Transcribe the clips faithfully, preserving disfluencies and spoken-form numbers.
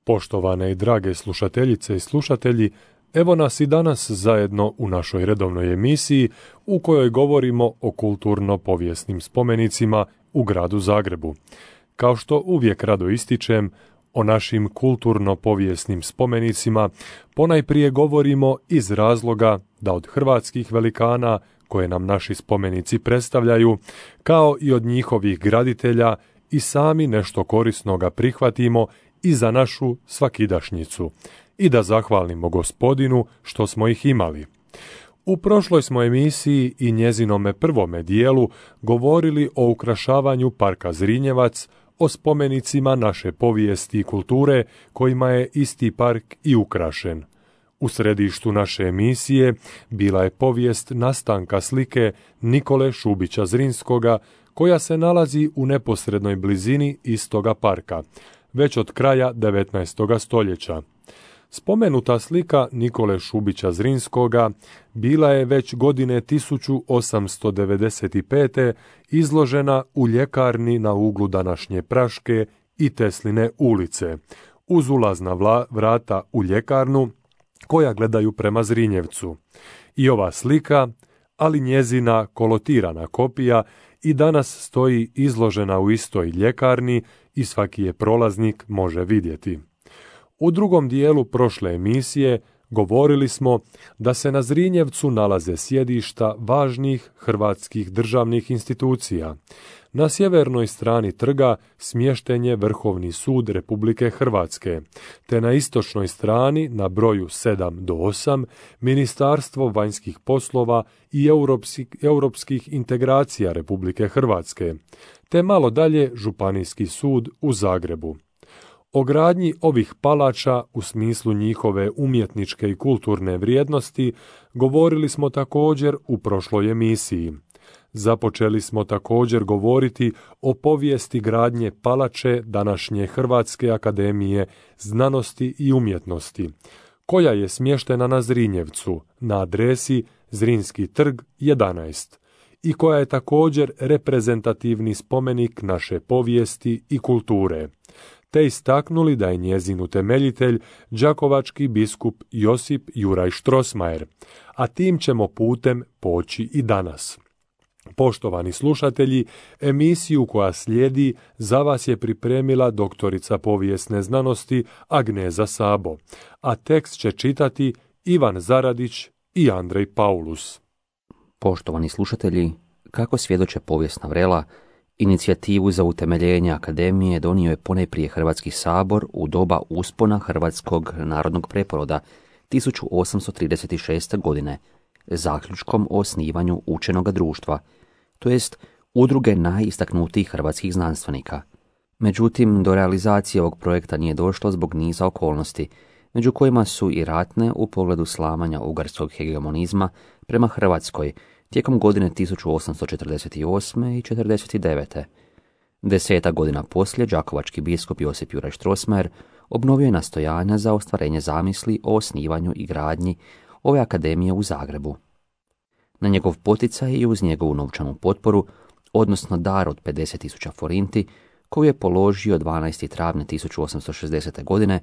Poštovane i drage slušateljice i slušatelji, evo nas i danas zajedno u našoj redovnoj emisiji u kojoj govorimo o kulturno-povijesnim spomenicima u gradu Zagrebu. Kao što uvijek rado ističem, o našim kulturno-povijesnim spomenicima ponajprije govorimo iz razloga da od hrvatskih velikana koje nam naši spomenici predstavljaju, kao i od njihovih graditelja, i sami nešto korisnoga prihvatimo i za našu svakidašnjicu i da zahvalimo Gospodinu što smo ih imali. U prošloj smo emisiji i njezinome prvome dijelu govorili o ukrašavanju parka Zrinjevac, o spomenicima naše povijesti i kulture kojima je isti park i ukrašen. U središtu naše emisije bila je povijest nastanka slike Nikole Šubića Zrinskoga, koja se nalazi u neposrednoj blizini istoga parka, već od kraja devetnaestog stoljeća. Spomenuta slika Nikole Šubića Zrinskoga bila je već godine tisuću osamsto devedeset pete. izložena u ljekarni na uglu današnje Praške i Tesline ulice, uz ulazna vla, vrata u ljekarnu koja gledaju prema Zrinjevcu. I ova slika, ali njezina kolotirana kopija, i danas stoji izložena u istoj ljekarni i svaki je prolaznik može vidjeti. U drugom dijelu prošle emisije govorili smo da se na Zrinjevcu nalaze sjedišta važnih hrvatskih državnih institucija. Na sjevernoj strani trga smješten je Vrhovni sud Republike Hrvatske, te na istočnoj strani na broju sedam do osam Ministarstvo vanjskih poslova i europskih, europskih integracija Republike Hrvatske, te malo dalje Županijski sud u Zagrebu. O gradnji ovih palača u smislu njihove umjetničke i kulturne vrijednosti govorili smo također u prošloj emisiji. Započeli smo također govoriti o povijesti gradnje palače današnje Hrvatske akademije znanosti i umjetnosti, koja je smještena na Zrinjevcu na adresi Zrinski trg jedanaest i koja je također reprezentativni spomenik naše povijesti i kulture, te istaknuli da je njezin utemeljitelj đakovački biskup Josip Juraj Strossmayer, a tim ćemo putem poći i danas. Poštovani slušatelji, emisiju koja slijedi za vas je pripremila doktorica povijesne znanosti Agneza Sabo, a tekst će čitati Ivan Zaradić i Andrej Paulus. Poštovani slušatelji, kako svjedoče povijesna vrela, inicijativu za utemeljenje akademije donio je ponajprije Hrvatski sabor u doba uspona Hrvatskog narodnog preporoda tisuću osamsto trideset šeste. godine, zaključkom o osnivanju učenoga društva, to jest udruge najistaknutijih hrvatskih znanstvenika. Međutim, do realizacije ovog projekta nije došlo zbog niza okolnosti, među kojima su i ratne u pogledu slamanja ugarskog hegemonizma prema Hrvatskoj tijekom godine tisuću osamsto četrdeset osme. i četrdeset devete. Deseta godina poslije, đakovački biskup Josip Juraj Strossmayer obnovio je nastojanja za ostvarenje zamisli o osnivanju i gradnji ove akademije u Zagrebu. Na njegov poticaj i uz njegovu novčanu potporu, odnosno dar od pedeset tisuća forinti, koju je položio dvanaestog travnja tisuću osamsto šezdesete. godine,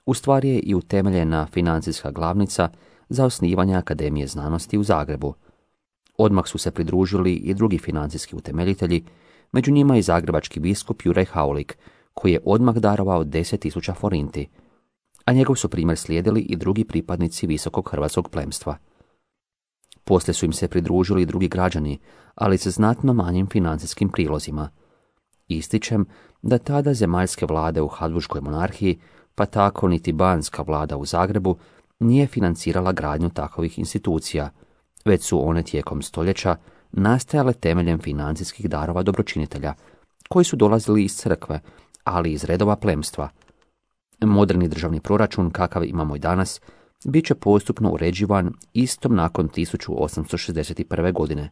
u stvari je i utemeljena financijska glavnica za osnivanje Akademije znanosti u Zagrebu. Odmah su se pridružili i drugi financijski utemeljitelji, među njima i zagrebački biskup Juraj Haulik, koji je odmah darovao deset tisuća forinti, a njegov su primjer slijedili i drugi pripadnici visokog hrvatskog plemstva. Poslije su im se pridružili i drugi građani, ali sa znatno manjim financijskim prilozima. Ističem da tada zemaljske vlade u Habsburškoj monarhiji, pa tako niti banska vlada u Zagrebu, nije financirala gradnju takovih institucija, već su one tijekom stoljeća nastajale temeljem financijskih darova dobročinitelja, koji su dolazili iz crkve, ali iz redova plemstva. Moderni državni proračun, kakav imamo i danas, bit će postupno uređivan istom nakon tisuću osamsto šezdeset prve. godine,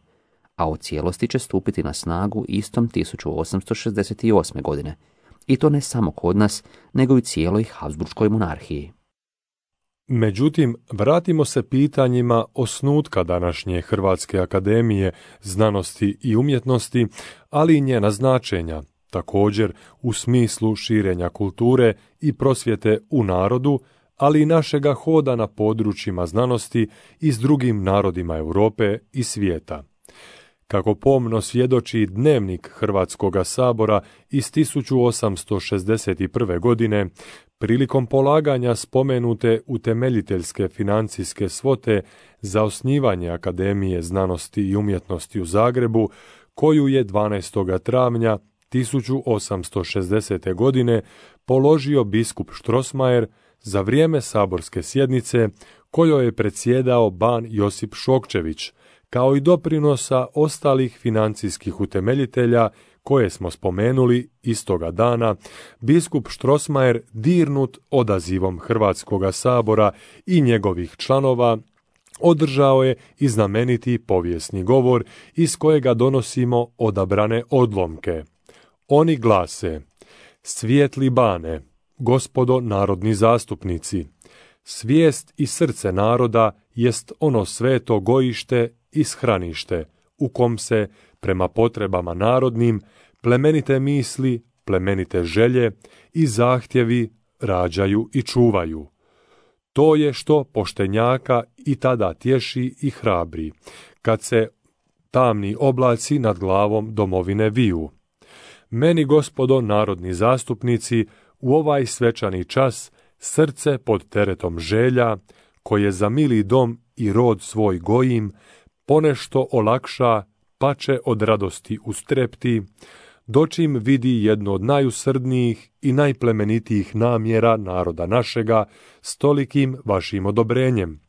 a u cijelosti će stupiti na snagu istom tisuću osamsto šezdeset osme. godine, i to ne samo kod nas, nego i u cijeloj Habsburškoj monarhiji. Međutim, vratimo se pitanjima osnutka današnje Hrvatske akademije znanosti i umjetnosti, ali i njena značenja, također u smislu širenja kulture i prosvjete u narodu, ali i našega hoda na područjima znanosti i s drugim narodima Europe i svijeta. Kako pomno svjedoči dnevnik Hrvatskoga sabora iz tisuću osamsto šezdeset prve. godine, prilikom polaganja spomenute utemeljiteljske financijske svote za osnivanje Akademije znanosti i umjetnosti u Zagrebu, koju je dvanaestog travnja tisuću osamsto šezdesete. godine položio biskup Strossmayer za vrijeme saborske sjednice kojoj je predsjedao ban Josip Šokčević, kao i doprinosa ostalih financijskih utemeljitelja koje smo spomenuli istoga dana, biskup Strossmayer dirnut odazivom Hrvatskoga sabora i njegovih članova održao je i znameniti povijesni govor iz kojega donosimo odabrane odlomke. Oni glase: Svijetli bane, gospodo narodni zastupnici, svijest i srce naroda jest ono sveto gojište i shranište, u kom se, prema potrebama narodnim, plemenite misli, plemenite želje i zahtjevi rađaju i čuvaju. To je što poštenjaka i tada tješi i hrabri, kad se tamni oblaci nad glavom domovine viju. Meni, gospodo narodni zastupnici, u ovaj svečani čas srce pod teretom želja, koje za mili dom i rod svoj gojim, ponešto olakša, pače od radosti ustrepti, dočim vidi jedno od najusrdnijih i najplemenitijih namjera naroda našega, stolikim vašim odobrenjem,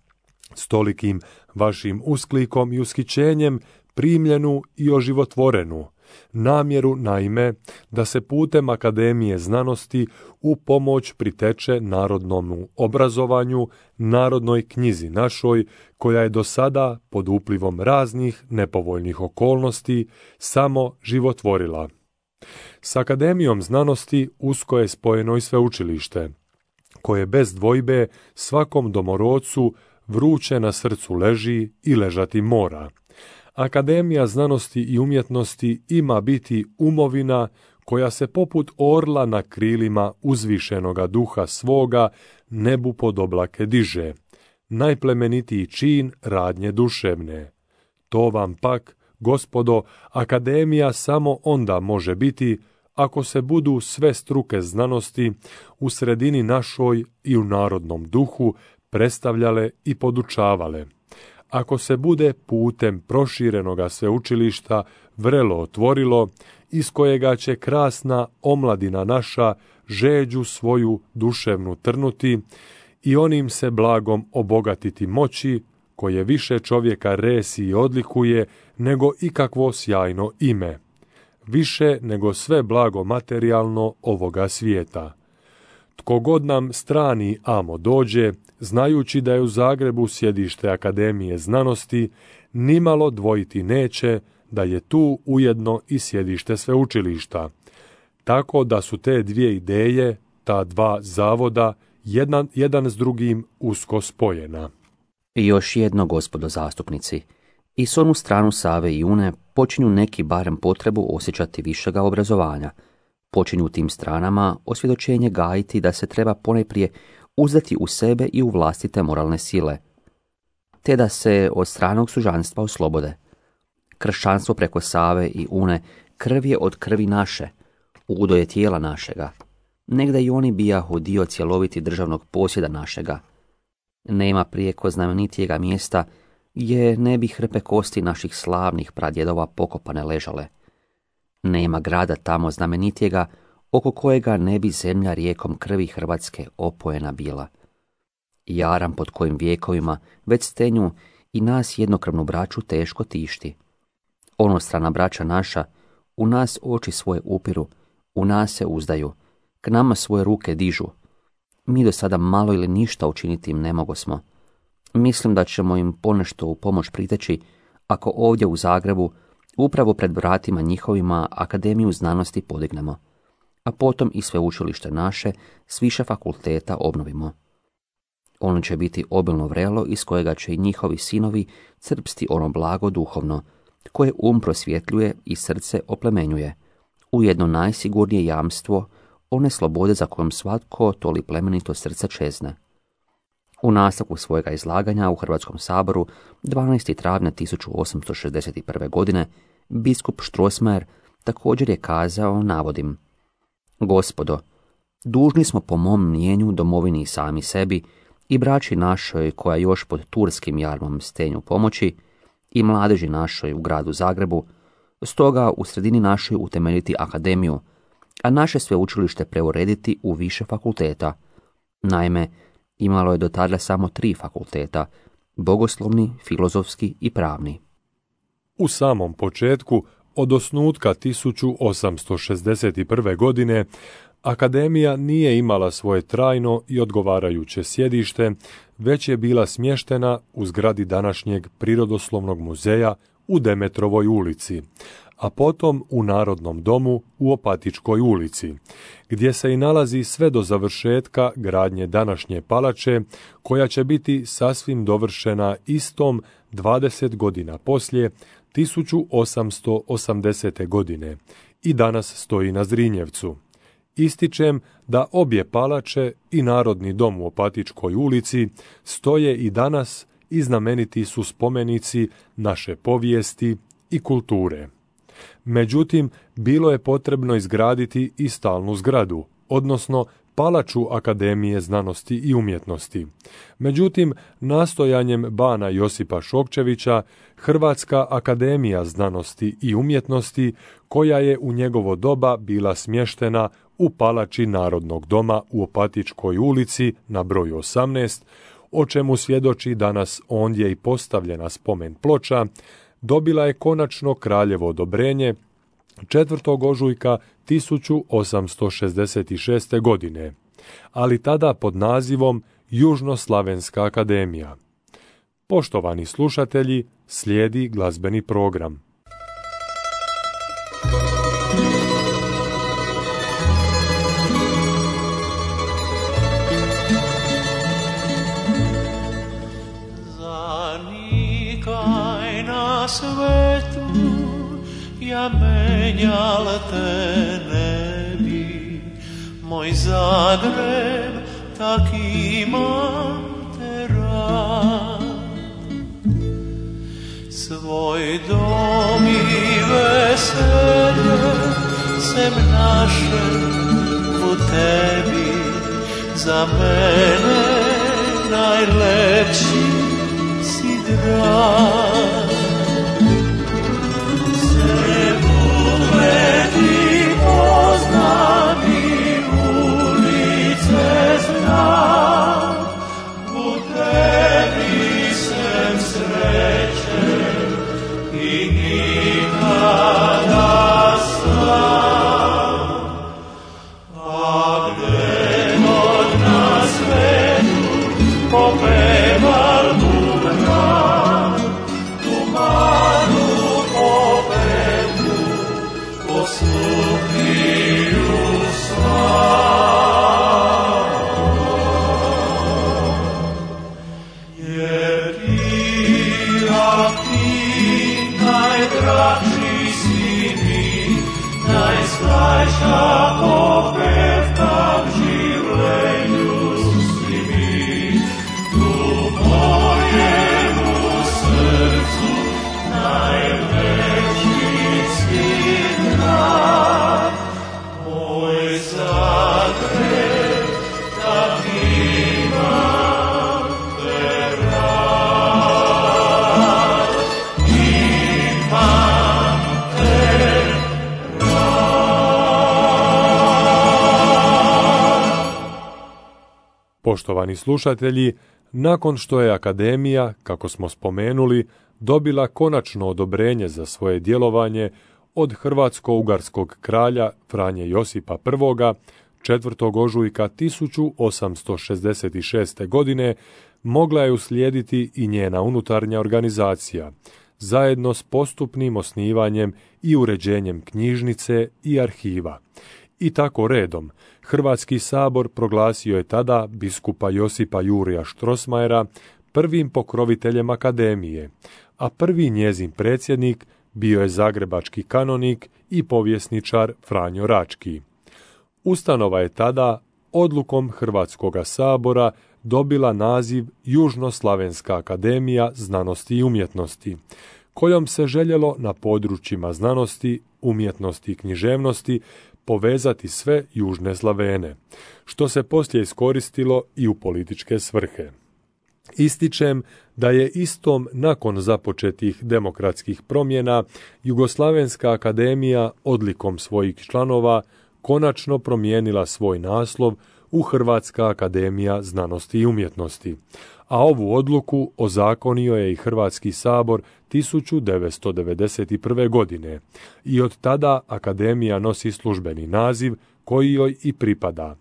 stolikim vašim usklikom i ushićenjem primljenu i oživotvorenu, namjeru naime da se putem Akademije znanosti u pomoć priteče narodnom obrazovanju, narodnoj knjizi našoj, koja je do sada pod uplivom raznih nepovoljnih okolnosti samo životvorila. S Akademijom znanosti usko je spojeno i sveučilište, koje bez dvojbe svakom domorodcu vruće na srcu leži i ležati mora. Akademija znanosti i umjetnosti ima biti umovina koja se poput orla na krilima uzvišenoga duha svoga nebu pod oblake diže, najplemenitiji čin radnje duševne. To vam pak, gospodo, Akademija samo onda može biti ako se budu sve struke znanosti u sredini našoj i u narodnom duhu predstavljale i podučavale. Ako se bude putem proširenoga sveučilišta vrelo otvorilo, iz kojega će krasna omladina naša žeđu svoju duševnu trnuti i onim se blagom obogatiti moći, koje više čovjeka resi i odlikuje nego ikakvo sjajno ime, više nego sve blago materijalno ovoga svijeta. Tko god nam strani amo dođe, znajući da je u Zagrebu sjedište Akademije znanosti, nimalo dvojiti neće da je tu ujedno i sjedište sveučilišta, tako da su te dvije ideje, ta dva zavoda, jedan, jedan s drugim usko spojena. I još jedno, gospodo zastupnici, i s onu stranu Save i Une počinju neki barem potrebu osjećati višega obrazovanja. Počinju u tim stranama osvjedočenje gajiti da se treba ponajprije uzdati u sebe i u vlastite moralne sile, te da se od stranog sužanstva oslobode. Kršćanstvo preko Save i Une krv je od krvi naše, udo je tijela našega, negda i oni bijahu dio cjeloviti državnog posjeda našega. Nema prijeko znamenitijega mjesta gdje ne bi hrpe kosti naših slavnih pradjedova pokopane ležale. Nema grada tamo znamenitijega oko kojega ne bi zemlja rijekom krvi Hrvatske opojena bila. Jaram pod kojim vjekovima već stenju i nas jednokrvnu braću teško tišti. Onostrana braća naša u nas oči svoje upiru, u nas se uzdaju, k nama svoje ruke dižu. Mi do sada malo ili ništa učiniti im ne mogosmo. Mislim da ćemo im ponešto u pomoć priteći ako ovdje u Zagrebu upravo pred vratima njihovima Akademiju znanosti podignemo, a potom i sveučilište naše s više fakulteta obnovimo. Ono će biti obilno vrelo iz kojega će i njihovi sinovi crpsti ono blago duhovno, koje um prosvjetljuje i srce oplemenjuje, ujedno najsigurnije jamstvo one slobode za kojom svatko toli plemenito srce čezne. U nastavku svojega izlaganja u Hrvatskom saboru dvanaestog travnja tisuću osamsto šezdeset prve. godine biskup Strossmayer također je kazao, navodim: Gospodo, dužni smo po mom mnijenju domovini i sami sebi i braći našoj koja još pod turskim jarmom stenju pomoći i mladeži našoj u gradu Zagrebu, stoga u sredini našoj utemeljiti akademiju, a naše sveučilište preurediti u više fakulteta. Naime, imalo je do tada samo tri fakulteta, bogoslovni, filozofski i pravni. U samom početku, od osnutka tisuću osamsto šezdeset prve. godine, akademija nije imala svoje trajno i odgovarajuće sjedište, već je bila smještena u zgradi današnjeg Prirodoslovnog muzeja u Demetrovoj ulici, a potom u Narodnom domu u Opatičkoj ulici, gdje se i nalazi sve do završetka gradnje današnje palače, koja će biti sasvim dovršena istom dvadeset godina poslije, tisuću osamsto osamdesete. godine, i danas stoji na Zrinjevcu. Ističem da obje palače i Narodni dom u Opatičkoj ulici stoje i danas i znameniti su spomenici naše povijesti i kulture. Međutim, bilo je potrebno izgraditi i stalnu zgradu, odnosno palaču Akademije znanosti i umjetnosti. Međutim, nastojanjem bana Josipa Šokčevića, Hrvatska akademija znanosti i umjetnosti, koja je u njegovo doba bila smještena u palači Narodnog doma u Opatičkoj ulici na broju osamnaest, o čemu svjedoči danas ondje i postavljena spomen ploča, dobila je konačno kraljevo odobrenje četvrtog ožujka tisuću osamsto šezdeset šeste. godine, ali tada pod nazivom Južnoslavenska akademija. Poštovani slušatelji, slijedi glazbeni program. Zanikaj na svetu, ja menjal te ne bi, moj Zagreb tak imam te rad. Svoj dom i veselje sem naše u tebi, za mene najlepši si drag. Sve ugledi poznam i ulice znam, u tebi sem srećen i nikada sam. A gde god na svetu popeval bubna, tu malu popevu posluhiju sva. Jer ti, a ti, najdraži si mi, najstajša popevka v življenju si mi, tu mojemu srcu najveći si drag. Moj Zagreb, tak imam te rad, imam te Poštovani slušatelji, nakon što je Akademija, kako smo spomenuli, dobila konačno odobrenje za svoje djelovanje od hrvatsko-ugarskog kralja Franje Josipa I. četvrtog ožujka tisuću osamsto šezdeset šeste. godine, mogla je uslijediti i njena unutarnja organizacija, zajedno s postupnim osnivanjem i uređenjem knjižnice i arhiva. I tako redom, Hrvatski sabor proglasio je tada biskupa Josipa Jurija Strossmayera prvim pokroviteljem Akademije, a prvi njezin predsjednik bio je zagrebački kanonik i povjesničar Franjo Rački. Ustanova je tada odlukom Hrvatskog sabora dobila naziv Južnoslavenska akademija znanosti i umjetnosti, kojom se željelo na područjima znanosti, umjetnosti i književnosti povezati sve južne Slavene, što se poslije iskoristilo i u političke svrhe. Ističem da je istom nakon započetih demokratskih promjena Jugoslavenska akademija odlikom svojih članova konačno promijenila svoj naslov u Hrvatska akademija znanosti i umjetnosti, a ovu odluku ozakonio je i Hrvatski sabor tisuću devetsto devedeset prve. godine i od tada akademija nosi službeni naziv koji joj i pripada,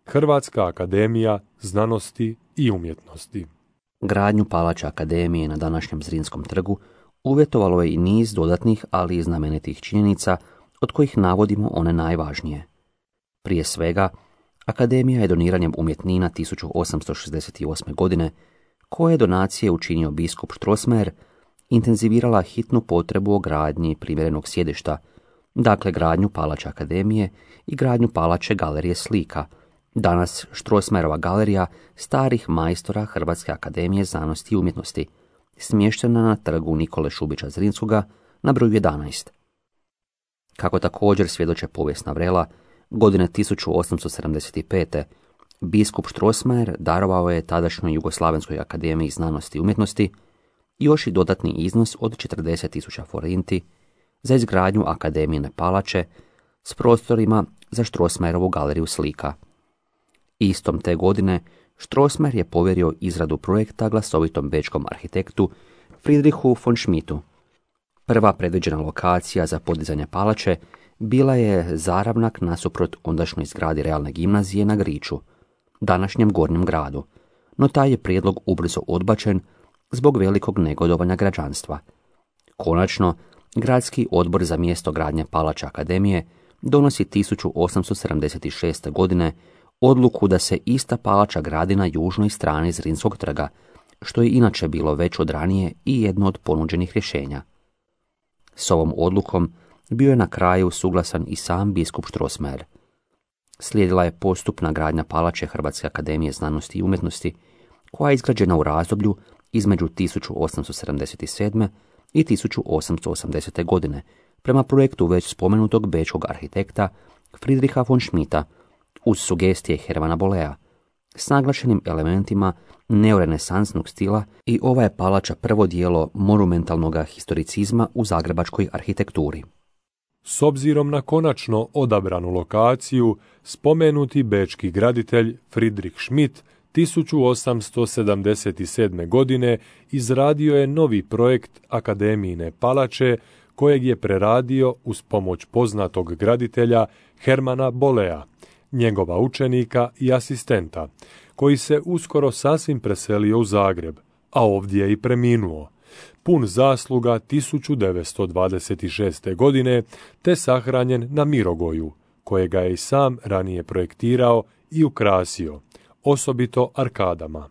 Hrvatska akademija znanosti i umjetnosti. Gradnju palače akademije na današnjem Zrinskom trgu uvjetovalo je i niz dodatnih, ali i znamenitih činjenica, od kojih navodimo one najvažnije. Prije svega, akademija je doniranjem umjetnina tisuću osamsto šezdeset osme. godine, koje je donacije učinio biskup Strossmayer, intenzivirala hitnu potrebu o gradnji primjerenog sjedišta, dakle gradnju palače akademije i gradnju palače galerije slika, danas Strossmayerova galerija starih majstora Hrvatske akademije znanosti i umjetnosti, smještena na trgu Nikole Šubića Zrinskoga na broju jedanaest. Kako također svjedoče povijesna vrela, godine tisuću osamsto sedamdeset pete. biskup Strossmayer darovao je tadašnjoj Jugoslavenskoj akademiji znanosti i umjetnosti još i dodatni iznos od četrdeset tisuća forinti za izgradnju akademijine palače s prostorima za Strossmayerovu galeriju slika. Istom te godine Strossmayer je povjerio izradu projekta glasovitom bečkom arhitektu Friedrichu von Schmidtu. Prva predviđena lokacija za podizanje palače bila je zaravnak nasuprot ondašnjoj zgradi realne gimnazije na Griču, današnjem Gornjem gradu, no taj je prijedlog ubrzo odbačen zbog velikog negodovanja građanstva. Konačno, gradski odbor za mjesto gradnje palače akademije donosi tisuću osamsto sedamdeset šeste. godine odluku da se ista palača gradi na južnoj strani Zrinskog trga, što je inače bilo već od ranije i jedno od ponuđenih rješenja. S ovom odlukom bio je na kraju suglasan i sam biskup Strossmayer. Slijedila je postupna gradnja palače Hrvatske akademije znanosti i umjetnosti, koja je izgrađena u razdoblju između tisuću osamsto sedamdeset sedme. i tisuću osamsto osamdesete. godine, prema projektu već spomenutog bečkog arhitekta Friedricha von Schmidta, uz sugestije Hermana Bollea, s naglašenim elementima neorenesansnog stila, i ova je palača prvo dijelo monumentalnog historicizma u zagrebačkoj arhitekturi. S obzirom na konačno odabranu lokaciju, spomenuti bečki graditelj Friedrich Schmidt tisuću osamsto sedamdeset sedme. godine izradio je novi projekt akademijine palače, kojeg je preradio uz pomoć poznatog graditelja Hermana Bollea, njegova učenika i asistenta, koji se uskoro sasvim preselio u Zagreb, a ovdje je i preminuo, pun zasluga tisuću devetsto dvadeset šeste. godine, te sahranjen na Mirogoju, kojega je i sam ranije projektirao i ukrasio, osobito arkadama.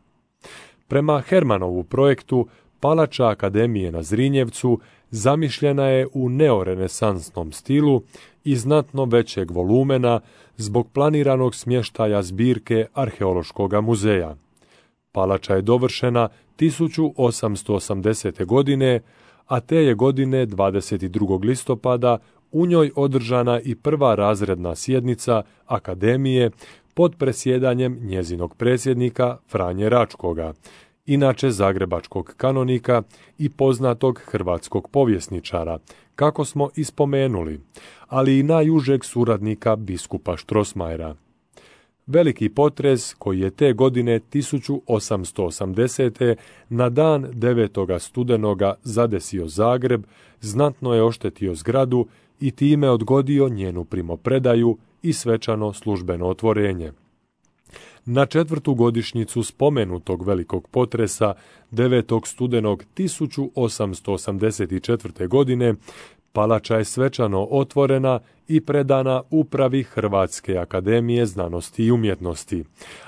Prema Hermanovu projektu, palača akademije na Zrinjevcu zamišljena je u neorenesansnom stilu i znatno većeg volumena zbog planiranog smještaja zbirke Arheološkog muzeja. Palača je dovršena tisuću osamsto osamdesete. godine, a te je godine dvadeset drugog listopada u njoj održana i prva razredna sjednica akademije pod presjedanjem njezinog predsjednika Franje Račkoga, inače zagrebačkog kanonika i poznatog hrvatskog povjesničara, kako smo ispomenuli, ali i najužeg suradnika biskupa Strossmayera. Veliki potres koji je te godine tisuću osamsto osamdesete. na dan devetog studenoga zadesio Zagreb, znatno je oštetio zgradu i time odgodio njenu primopredaju i svečano službeno otvorenje. Na četvrtu godišnjicu spomenutog velikog potresa devetog studenog tisuću osamsto osamdeset četvrte. godine palača je svečano otvorena i predana upravi Hrvatske akademije znanosti i umjetnosti,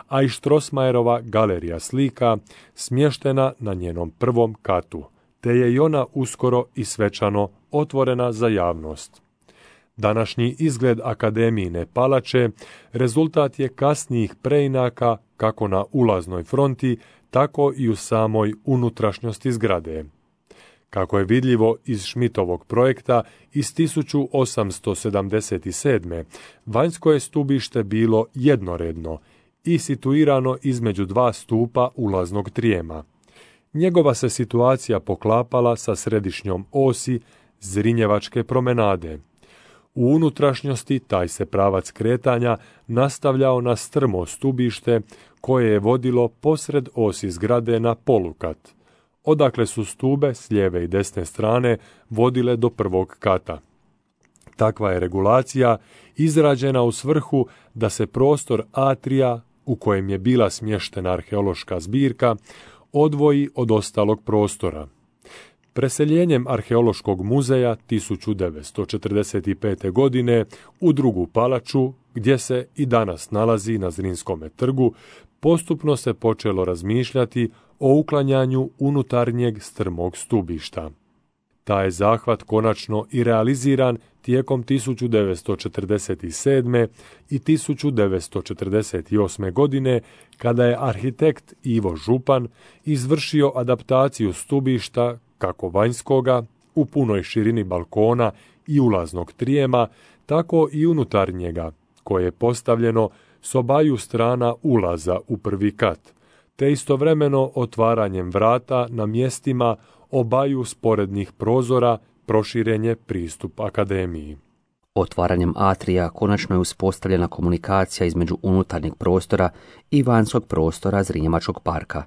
a i Strossmayerova galerija slika smještena na njenom prvom katu, te je i ona uskoro i svečano otvorena za javnost. Današnji izgled akademijine palače rezultat je kasnijih preinaka kako na ulaznoj fronti, tako i u samoj unutrašnjosti zgrade. Kako je vidljivo iz Schmidtovog projekta iz tisuću osamsto sedamdeset sedme. vanjsko je stubište bilo jednoredno i situirano između dva stupa ulaznog trijema. Njegova se situacija poklapala sa središnjom osi Zrinjevačke promenade. U unutrašnjosti taj se pravac kretanja nastavljao na strmo stubište koje je vodilo posred osi zgrade na polukat, odakle su stube s lijeve i desne strane vodile do prvog kata. Takva je regulacija izrađena u svrhu da se prostor atrija, u kojem je bila smještena arheološka zbirka, odvoji od ostalog prostora. Preseljenjem Arheološkog muzeja tisuću devetsto četrdeset pete. godine u drugu palaču, gdje se i danas nalazi na Zrinskome trgu, postupno se počelo razmišljati o uklanjanju unutarnjeg strmog stubišta. Taj je zahvat konačno i realiziran tijekom tisuću devetsto četrdeset sedme. i tisuću devetsto četrdeset osme. godine, kada je arhitekt Ivo Župan izvršio adaptaciju stubišta kako vanjskoga, u punoj širini balkona i ulaznog trijema, tako i unutarnjega, koje je postavljeno s obaju strana ulaza u prvi kat, te istovremeno otvaranjem vrata na mjestima obaju sporednih prozora proširen je pristup akademiji. Otvaranjem atrija konačno je uspostavljena komunikacija između unutarnjeg prostora i vanjskog prostora Zrinjevačkog parka.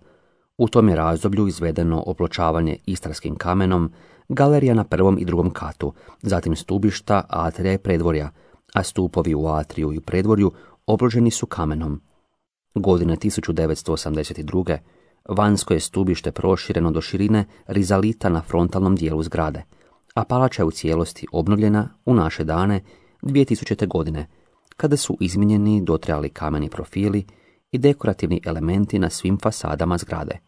U tom je razdoblju izvedeno opločavanje istarskim kamenom, galerija na prvom i drugom katu, zatim stubišta, atrija i predvorja, a stupovi u atriju i predvorju oploženi su kamenom. Godine tisuću devetsto osamdeset druge. vanjsko je stubište prošireno do širine rizalita na frontalnom dijelu zgrade, a palača je u cijelosti obnovljena u naše dane dvije tisućite. godine, kada su izmijenjeni dotrajali kameni profili i dekorativni elementi na svim fasadama zgrade.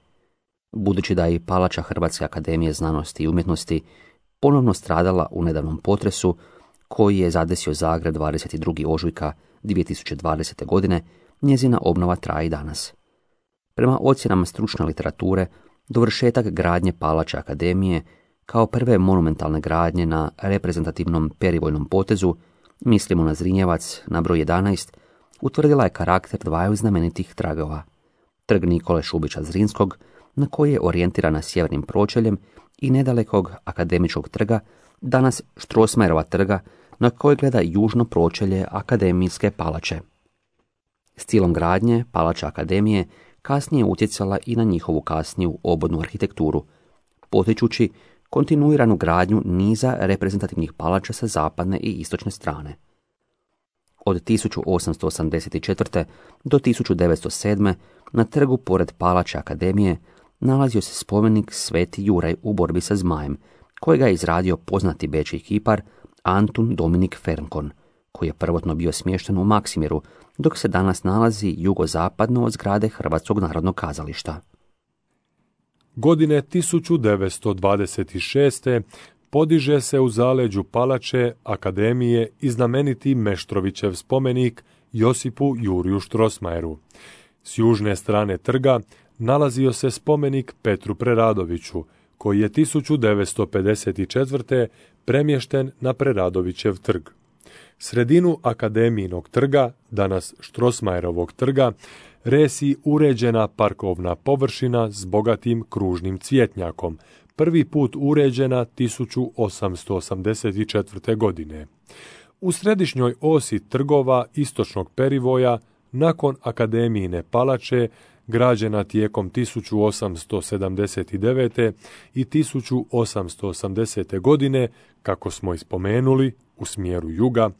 Budući da je i palača Hrvatske akademije znanosti i umjetnosti ponovno stradala u nedavnom potresu koji je zadesio Zagreb dvadeset drugog ožujka dvije tisuće dvadesete. godine, njezina obnova traje i danas. Prema ocjenama stručne literature, dovršetak gradnje palača akademije kao prve monumentalne gradnje na reprezentativnom perivojnom potezu, mislimo na Zrinjevac na broj jedanaest, utvrdila je karakter dvaju znamenitih tragova. Trg Nikole Šubića Zrinskog, na koji je orijentirana sjevernim pročeljem, i nedalekog Akademičkog trga, danas Strossmayerova trga, na koji gleda južno pročelje Akademijske palače. Stilom gradnje palača akademije kasnije je utjecala i na njihovu kasniju obodnu arhitekturu, potičući kontinuiranu gradnju niza reprezentativnih palača sa zapadne i istočne strane. Od tisuću osamsto osamdeset četvrte. do tisuću devetsto sedme. na trgu pored palače akademije nalazio se spomenik Sveti Juraj u borbi sa zmajem, kojega je izradio poznati bečki kipar Antun Dominik Fernkon, koji je prvotno bio smješten u Maksimiru, dok se danas nalazi jugozapadno od zgrade Hrvatskog narodnog kazališta. Godine tisuću devetsto dvadeset šeste. podiže se u zaleđu palače akademije i znameniti Meštrovićev spomenik Josipu Juriju Strossmayeru. S južne strane trga nalazio se spomenik Petru Preradoviću, koji je tisuću devetsto pedeset četvrte. premješten na Preradovićev trg. Sredinu akademijinog trga, danas Strossmayerovog trga, resi uređena parkovna površina s bogatim kružnim cvjetnjakom, prvi put uređena tisuću osamsto osamdeset četvrte. godine. U središnjoj osi trgova istočnog perivoja, nakon akademijine palače, građena tijekom tisuću osamsto sedamdeset devete. i tisuću osamsto osamdesete. godine, kako smo ispomenuli, u smjeru juga,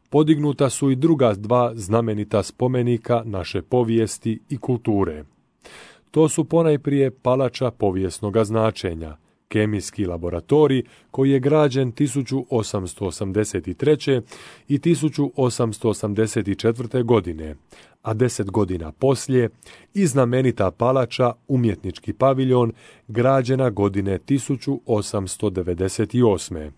podignuta su i druga dva znamenita spomenika naše povijesti i kulture. To su ponajprije palača povijesnoga značenja, kemijski laboratorij koji je građen tisuću osamsto osamdeset treće. i tisuću osamsto osamdeset četvrte. godine, a deset godina poslije i znamenita palača umjetnički paviljon građena godine tisuću osamsto devedeset osme.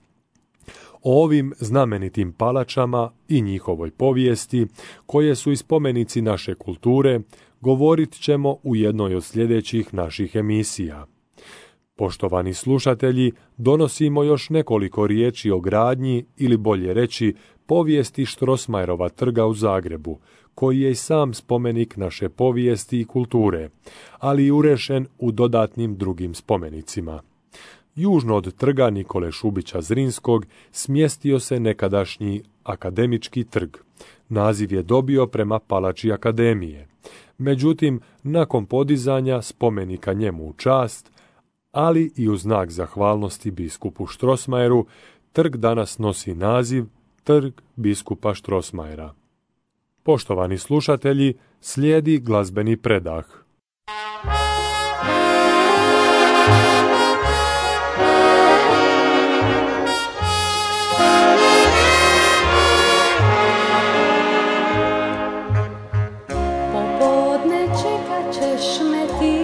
O ovim znamenitim palačama i njihovoj povijesti, koje su i spomenici naše kulture, govorit ćemo u jednoj od sljedećih naših emisija. Poštovani slušatelji, donosimo još nekoliko riječi o gradnji, ili bolje reći, povijesti Strossmayerova trga u Zagrebu, koji je i sam spomenik naše povijesti i kulture, ali i urešen u dodatnim drugim spomenicima. Južno od trga Nikole Šubića Zrinskog smjestio se nekadašnji Akademički trg. Naziv je dobio prema palači Akademije. Međutim, nakon podizanja spomenika njemu u čast, ali i u znak zahvalnosti biskupu Strossmayeru, trg danas nosi naziv Trg biskupa Strossmayera. Poštovani slušatelji, slijedi glazbeni predah. Popodne čekat ćeš me ti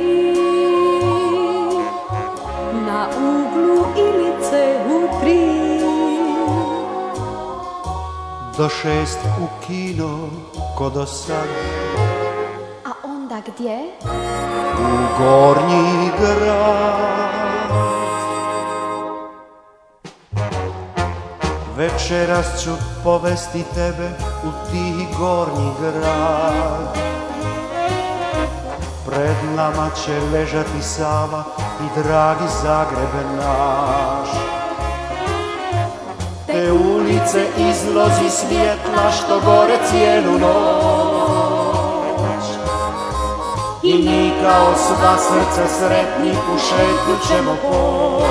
na uglu Ilice u tri. Do šest u kino ko do sad. A onda gdje? U Gornji grad. Večeras ću povesti tebe u ti Gornji grad. Pred nama će ležati Sava i dragi Zagreb naš. Te ulice izlozi svjetla što gore cijelu noć. I mi kao sva srca sretni u šetnju ćemo poć.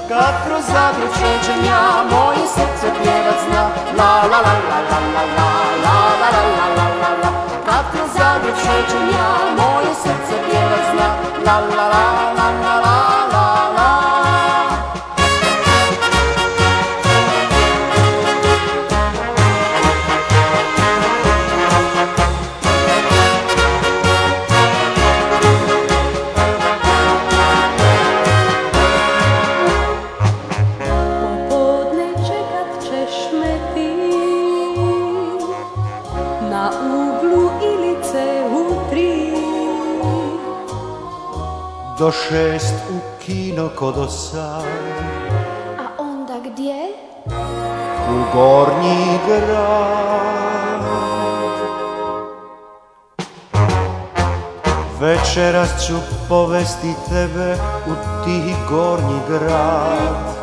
Kad kroz Zagreb šećem ja, moje srce pjevat zna. La la la la la la la la la la la la la. Kad kroz Zagreb šećem ja, moje srce pjevat zna. La la la la la la la la. Do šest u kino ko do sad. A onda gdje? U Gornji grad. Večeras ću povesti tebe u ti Gornji grad.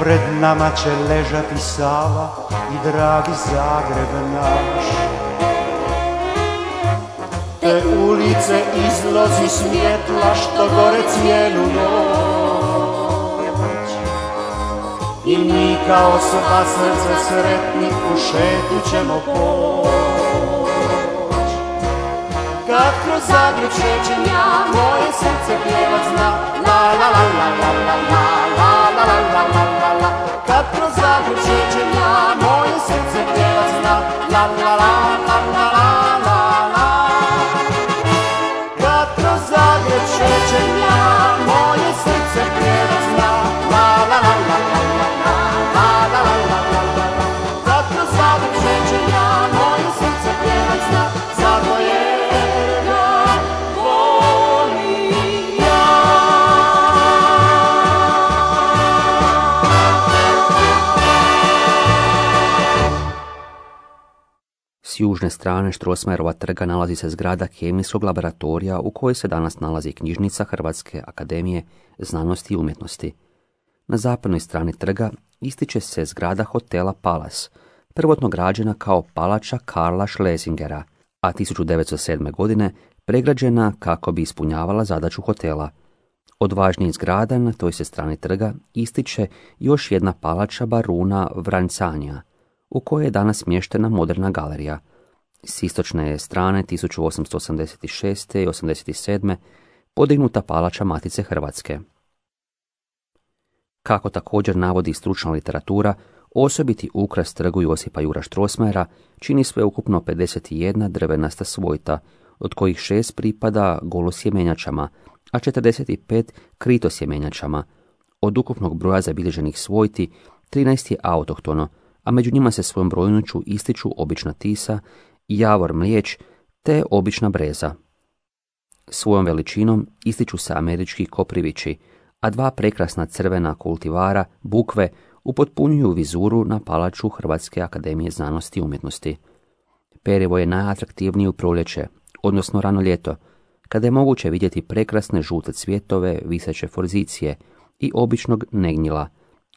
Pred nama će ležati Sava i dragi Zagreb naš. Te ulice izlozi svjetla što gore cijelu noć. I mi kao sva srca sretni u šetnju ćemo poć. Kad kroz Zagreb šećem ja, moje srce pjevat zna. La la la la la la la la la la la la la. Kad kroz Zagreb šećem ja, moje srce pjevat zna. La la la la la la. Zagreb šećem ja, moje srce pjevat zna. La la la la la la la la la la la la la. Kad kroz Zagreb šećem ja, moje srce pjevat zna. Zato je ga volim ja. S južne strane Strossmayerova trga nalazi se zgrada kemijskog laboratorija u kojoj se danas nalazi knjižnica Hrvatske akademije znanosti i umjetnosti. Na zapadnoj strani trga ističe se zgrada hotela Palas, prvotno građena kao palača Karla Schlesingera, a tisuću devetsto sedme. godine pregrađena kako bi ispunjavala zadaću hotela. Od važnijih zgrada na toj se strani trga ističe još jedna palača baruna Vrancanja, u kojoj je danas smještena moderna galerija. S istočne je strane tisuću osamsto osamdeset šeste i osamdeset sedme podignuta palača Matice Hrvatske. Kako također navodi stručna literatura, osobiti ukras trgu Josipa Jura Strossmayera čini sveukupno pedeset jedna drvenasta svojta, od kojih šest pripada golosjemenjačama, a četrdeset pet kritosjemenjačama. Od ukupnog broja zabilježenih svojti, trinaest je autohtono, a među njima se svojom brojnoću ističu obična tisa, javor mlijeć te obična breza. Svojom veličinom ističu se američki koprivići, a dva prekrasna crvena kultivara, bukve, upotpunjuju vizuru na palaču Hrvatske akademije znanosti i umjetnosti. Perivo je najatraktivniji u proljeće, odnosno rano ljeto, kada je moguće vidjeti prekrasne žute cvjetove, viseće forzicije i običnog negnjila,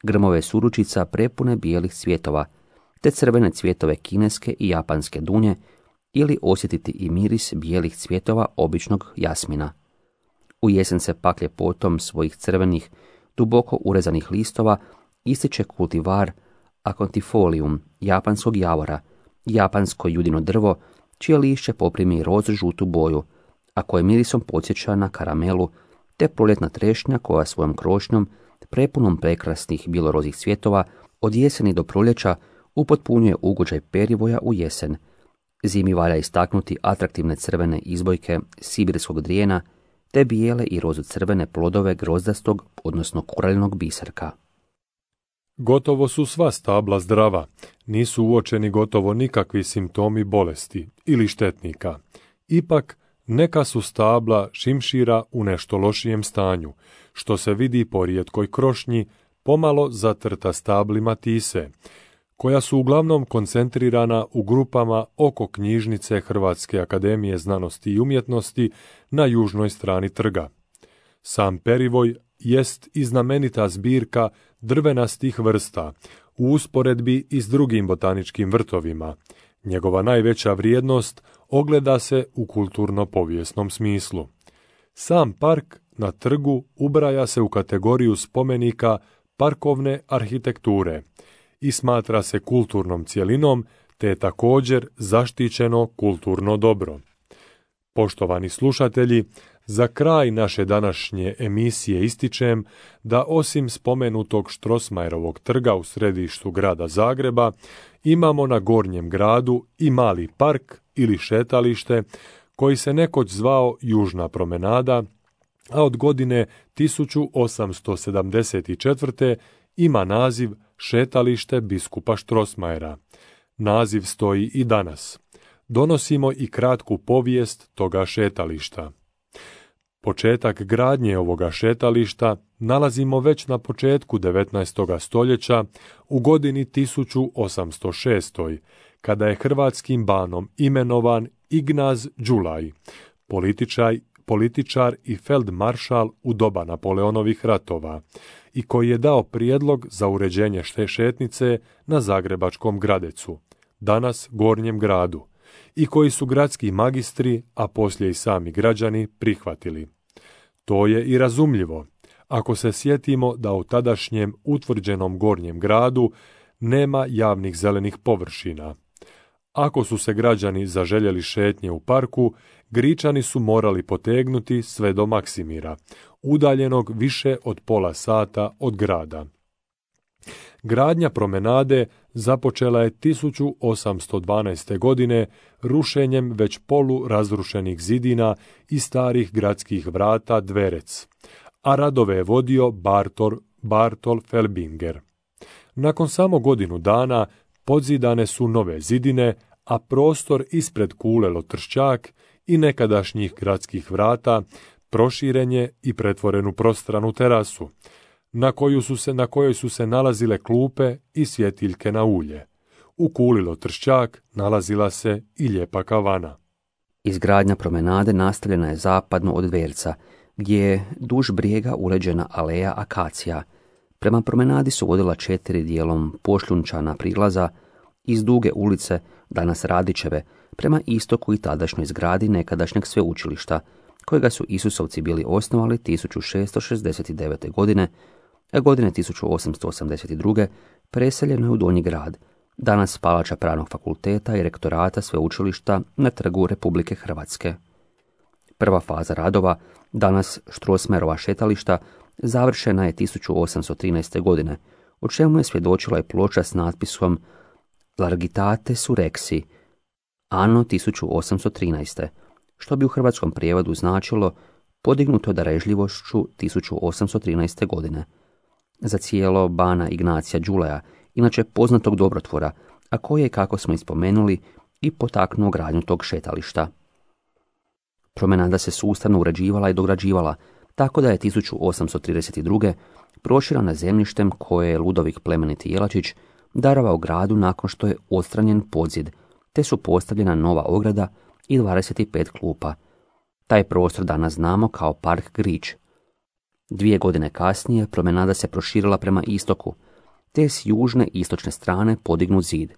grmove suručica prepune bijelih cvjetova, te crvene cvjetove kineske i japanske dunje, ili osjetiti i miris bijelih cvjetova običnog jasmina. U jesen se pak ljepotom svojih crvenih, duboko urezanih listova ističe kultivar Acontifolium, japanskog javora, japansko judino drvo, čije lišće poprimi roz žutu boju, a koje mirisom podsjeća na karamelu, te proljetna trešnja koja svojom krošnjom, prepunom prekrasnih bilorozih cvjetova, od jeseni do proljeća upotpunjuje ugođaj perivoja u jesen. Zimi valja istaknuti atraktivne crvene izbojke sibirskog drijena, te bijele i rozu crvene plodove grozdastog, odnosno kuralinog biserka. Gotovo su sva stabla zdrava, nisu uočeni gotovo nikakvi simptomi bolesti ili štetnika. Ipak, neka su stabla šimšira u nešto lošijem stanju, što se vidi po rijetkoj krošnji, pomalo zatrta stablima tise, koja su uglavnom koncentrirana u grupama oko knjižnice Hrvatske akademije znanosti i umjetnosti na južnoj strani trga. Sam perivoj jest i znamenita zbirka drvenastih vrsta u usporedbi i s drugim botaničkim vrtovima. Njegova najveća vrijednost ogleda se u kulturno-povijesnom smislu. Sam park na trgu ubraja se u kategoriju spomenika parkovne arhitekture i smatra se kulturnom cjelinom, te je također zaštićeno kulturno dobro. Poštovani slušatelji, za kraj naše današnje emisije ističem da osim spomenutog Strossmayerovog trga u središtu grada Zagreba, imamo na Gornjem gradu i mali park ili šetalište koji se nekoć zvao Južna promenada, a od godine tisuću osamsto sedamdeset četvrte ima naziv Šetalište biskupa Strossmayera. Naziv stoji i danas. Donosimo i kratku povijest toga šetališta. Početak gradnje ovoga šetališta nalazimo već na početku devetnaestog stoljeća u godini tisuću osamsto šestoj, kada je hrvatskim banom imenovan Ignaz Đulaj, političar, političar i feldmaršal u doba Napoleonovih ratova, i koji je dao prijedlog za uređenje šetnice na Zagrebačkom Gradecu, danas Gornjem gradu, i koji su gradski magistri, a poslije i sami građani, prihvatili. To je i razumljivo, ako se sjetimo da u tadašnjem utvrđenom Gornjem gradu nema javnih zelenih površina. Ako su se građani zaželjeli šetnje u parku, Gričani su morali potegnuti sve do Maksimira, udaljenog više od pola sata od grada. Gradnja promenade započela je tisuću osamsto dvanaeste. godine rušenjem već polu razrušenih zidina i starih gradskih vrata Dverec, a radove je vodio Bartol, Bartol Felbinger. Nakon samo godinu dana podzidane su nove zidine, a prostor ispred kule Lotršćak i nekadašnjih gradskih vrata proširen je i pretvoren u prostranu terasu, na, koju su se, na kojoj su se nalazile klupe i svjetiljke na ulje. U kuli Lotršćak nalazila se i lijepa kavana. Izgradnja promenade nastavljena je zapadno od Dverca, gdje je duž brijega uređena aleja akacija. Prema promenadi su vodila četiri dijelom pošljunčana prilaza iz duge ulice, danas Radićeve, prema istoku i tadašnjoj zgradi nekadašnjeg sveučilišta, kojega su Isusovci bili osnovali tisuću šesto šezdeset devete. godine, a godine tisuću osamsto osamdeset druge. preseljeno je u Donji grad, danas palača Pravnog fakulteta i rektorata sveučilišta na Trgu Republike Hrvatske. Prva faza radova, danas Strossmayerova šetališta, završena je tisuću osamsto trinaeste. godine, o čemu je svjedočila i ploča s natpisom Largitate surexi, anno tisuću osamsto trinaeste. što bi u hrvatskom prijevodu značilo podignuto darežljivošću tisuću osamsto trinaeste. godine. Za cijelo bana Ignacija Đulaja, inače poznatog dobrotvora, a koji je, kako smo ispomenuli, i potaknuo gradnju tog šetališta. Promenada se sustavno uređivala i dograđivala, tako da je tisuću osamsto trideset druge. proširana zemljištem koje je Ludovik plemeniti Jelačić darovao gradu nakon što je odstranjen podzid, te su postavljena nova ograda i dvadeset pet klupa. Taj prostor danas znamo kao Park Grič. Dvije godine kasnije promenada se proširila prema istoku, te s južne i istočne strane podignut zid.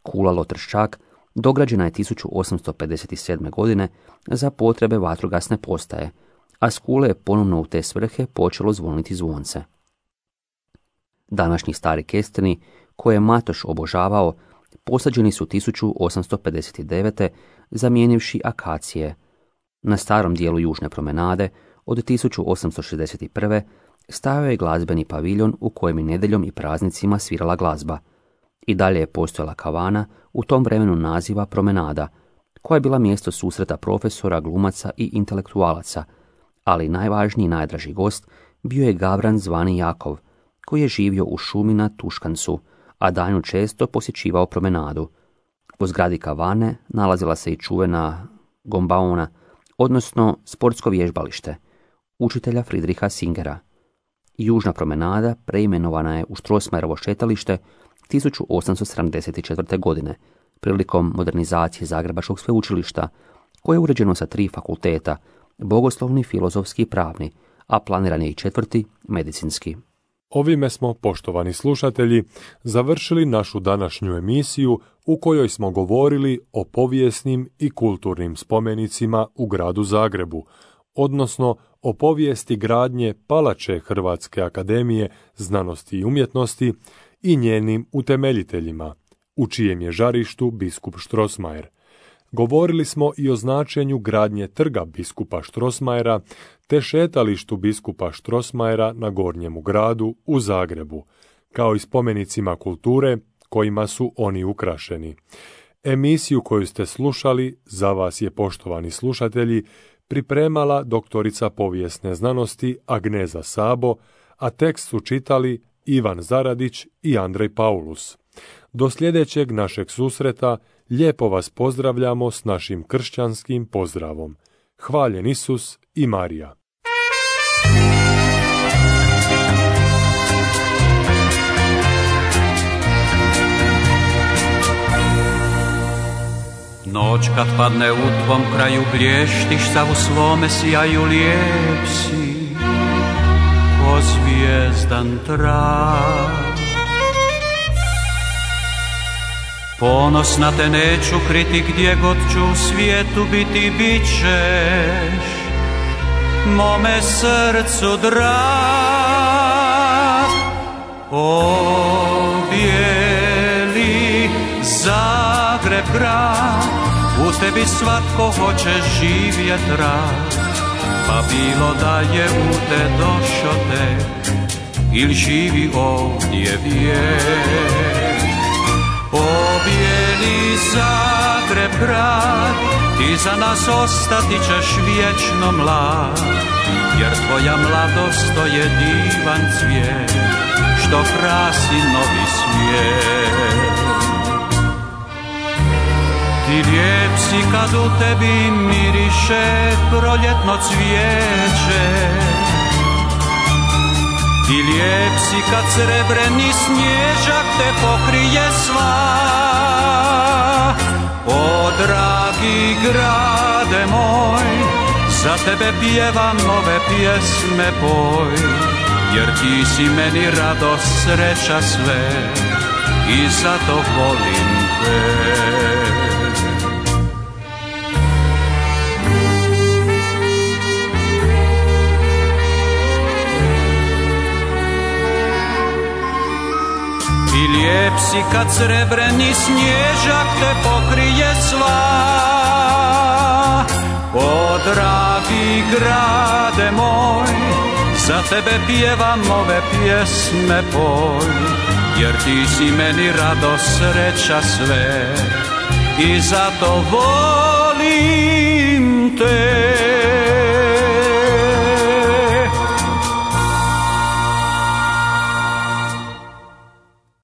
Kula Lotrščak dograđena je tisuću osamsto pedeset sedme. godine za potrebe vatrogasne postaje, a s kule je ponovno u te svrhe počelo zvoniti zvonce. Današnji stari kesteni, koje je Matoš obožavao, posađeni su tisuću osamsto pedeset devete. zamijenivši akacije. Na starom dijelu južne promenade od tisuću osamsto šezdeset prve. stajao je glazbeni paviljon u kojem je nedjeljom i praznicima svirala glazba. I dalje je postojala kavana, u tom vremenu naziva Promenada, koja je bila mjesto susreta profesora, glumaca i intelektualaca, ali najvažniji i najdraži gost bio je Gavran zvani Jakov, koji je živio u šumi na Tuškancu, a danju često posjećivao promenadu. U zgradi kavane nalazila se i čuvena gombaona, odnosno sportsko vježbalište, učitelja Friedricha Singera. Južna promenada preimenovana je u Strossmayerovo šetalište tisuću osamsto sedamdeset četvrte. godine, prilikom modernizacije Zagrebačkog sveučilišta, koje je uređeno sa tri fakulteta, bogoslovni, filozofski i pravni, a planiran je i četvrti, medicinski. Ovime smo, poštovani slušatelji, završili našu današnju emisiju u kojoj smo govorili o povijesnim i kulturnim spomenicima u gradu Zagrebu, odnosno o povijesti gradnje palače Hrvatske akademije znanosti i umjetnosti i njenim utemeljiteljima, u čijem je žarištu biskup Strossmayer. Govorili smo i o značenju gradnje trga biskupa Strossmayera te šetalištu biskupa Strossmayera na Gornjemu gradu u Zagrebu, kao i spomenicima kulture kojima su oni ukrašeni. Emisiju koju ste slušali za vas je, poštovani slušatelji, pripremala doktorica povijesne znanosti Agneza Sabo, a tekst su čitali Ivan Zaradić i Andrej Paulus. Do sljedećeg našeg susreta lijepo vas pozdravljamo s našim kršćanskim pozdravom. Hvaljen Isus i Marija. Noć kad padne u tvom kraju blještiš, sa u svome sjaju lijep si, ko zvijezdan trak. Ponosna te neću kriti, gdje god ću u svijetu biti, bit ćeš mome srcu drag. O bijeli Zagreb grad, u tebi svatko hoće živjet rad, pa bilo da je u te došo te, ili živi ovdje vijek. O bijeli Zagreb grad, ti za nas ostati ćeš vječno mlad, jer tvoja mladost to je divan cvijet, što krasi novi svijet. Ti lijep si kad u tebi miriše proljetno cvijeće, ti lijep si kad srebreni snježak te pokrije sva. O dragi grade moj, za tebe pjevam ove pjesme poj, jer ti si meni radost, sreća sve i zato volim te. Ti Lijep si kad srebreni snježak te pokrije sva. O dragi grade moj, za tebe pjevam ove pjesme poj, jer ti si meni radost, sreća sve i zato volim te.